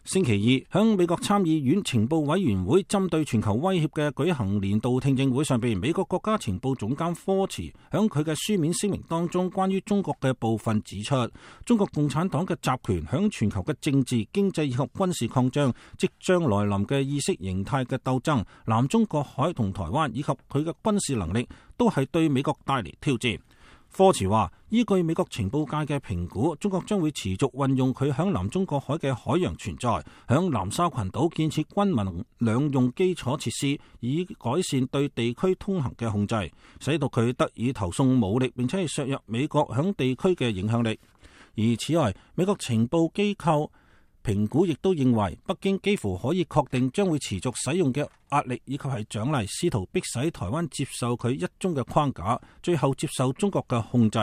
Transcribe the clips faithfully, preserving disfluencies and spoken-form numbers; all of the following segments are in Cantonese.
星期二，響美國參議院情報委員會針對全球威脅嘅舉行年度聽證會上邊，美國國家情報總監科茨響佢嘅書面聲明當中，關於中國嘅部分指出，中國共產黨嘅集權響全球嘅政治、經濟以及軍事擴張，即將來臨嘅意識形態嘅鬥爭，南中國海同台灣以及佢嘅軍事能力，都係對美國帶嚟挑戰。科茨話，依據美國情報界嘅評估，中國將會持續運用佢響南中國海嘅海洋存在，響南沙群島建設軍民兩用基礎設施，以改善對地區通行嘅控制，使到佢得以投送武力，並且係削弱美國響地區嘅影響力。而此外，美國情報機構評估亦都認為，北京幾乎可以確定將會持續使用嘅壓力以及係獎勵，試圖迫使台灣接受佢一中嘅框架，最後接受中國嘅控制。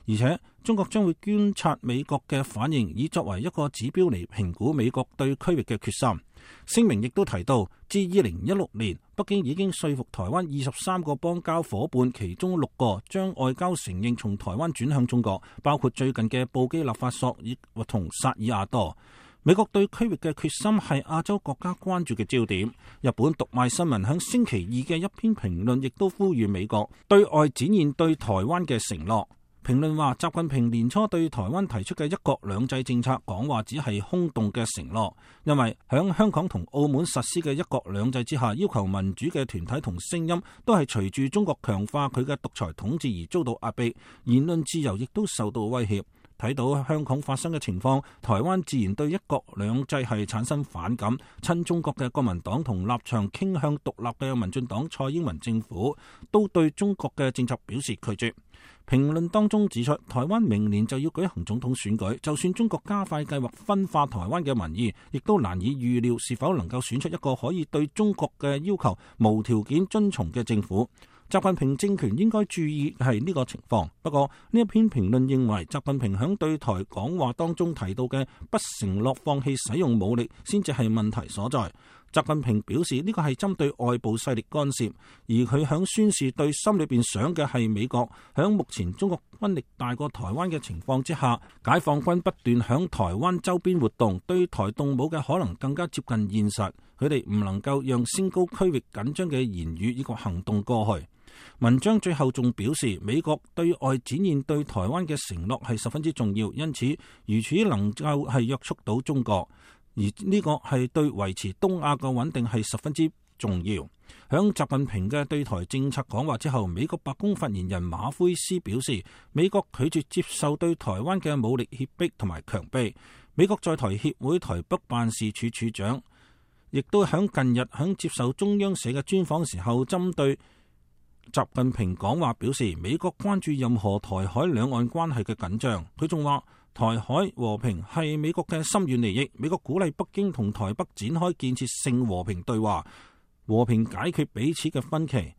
而且中國將會觀察美國嘅反應，以作為一個指標嚟評估美國對區域嘅決心。聲明亦都提到，自二零一六年，北京已經說服台灣二十三個邦交夥伴，其中六個將外交承認從台灣轉向中國，包括最近嘅布基納法索以同薩爾瓦多。美國對區域嘅決心係亞洲國家關注嘅焦點。日本讀賣新聞響星期二嘅一篇評論亦都呼籲美國對外展現對台灣嘅承諾。評論話，習近平年初對台灣提出嘅一國兩制政策講話只係空洞嘅承諾，因為響香港同澳門實施嘅一國兩制之下，要求民主嘅團體同聲音都係隨住中國強化佢嘅獨裁統治而遭到壓迫，言論自由亦都受到威脅。睇到香港發生嘅情況，台灣自然對一國兩制係產生反感。親中國嘅國民黨同立場傾向獨立嘅民進黨蔡英文政府都對中國嘅政策表示拒絕。評論當中指出，台灣明年就要舉行總統選舉，就算中國加快計劃分化台灣嘅民意，亦都難以預料是否能夠選出一個可以對中國嘅要求無條件遵從嘅政府。習近平政權應該注意係呢個情況。不過呢一篇評論認為，習近平響對台講話當中提到嘅不承諾放棄使用武力，先至係問題所在。習近平表示呢個係針對外部勢力干涉，而佢響宣示對心裏邊想嘅係美國。響目前中國軍力大過台灣嘅情況之下，解放軍不斷響台灣周邊活動，對台動武嘅可能更加接近現實。佢哋唔能夠讓升高區域緊張嘅言語以及行動過去。文章最後仲表示，美國對外展現對台灣嘅承諾係十分之重要，因此如此能夠係約束到中國，而呢個係對維持東亞嘅穩定係十分之重要。響習近平嘅對台政策講話之後，美國白宮發言人馬奎斯表示，美國拒絕接受對台灣嘅武力脅迫同埋強迫。美國在台協會台北辦事處處長亦都響近日響接受中央社嘅專訪時候，針對習近平講話表示，美國關注任何台海兩岸關係嘅緊張。佢仲話，台海和平係美國嘅深遠利益，美國鼓勵北京同台北展開建設性和平對話，和平解決彼此嘅分歧。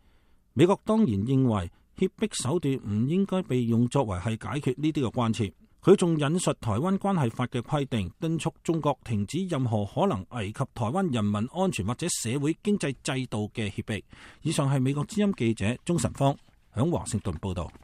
美國當然認為脅迫手段唔應該被用作為係解決呢啲嘅關切。佢仲引述台灣關係法嘅規定，敦促中國停止任何可能危及台灣人民安全或者社會經濟制度嘅脅迫。以上係美國之音記者鍾晨芳響華盛頓報道。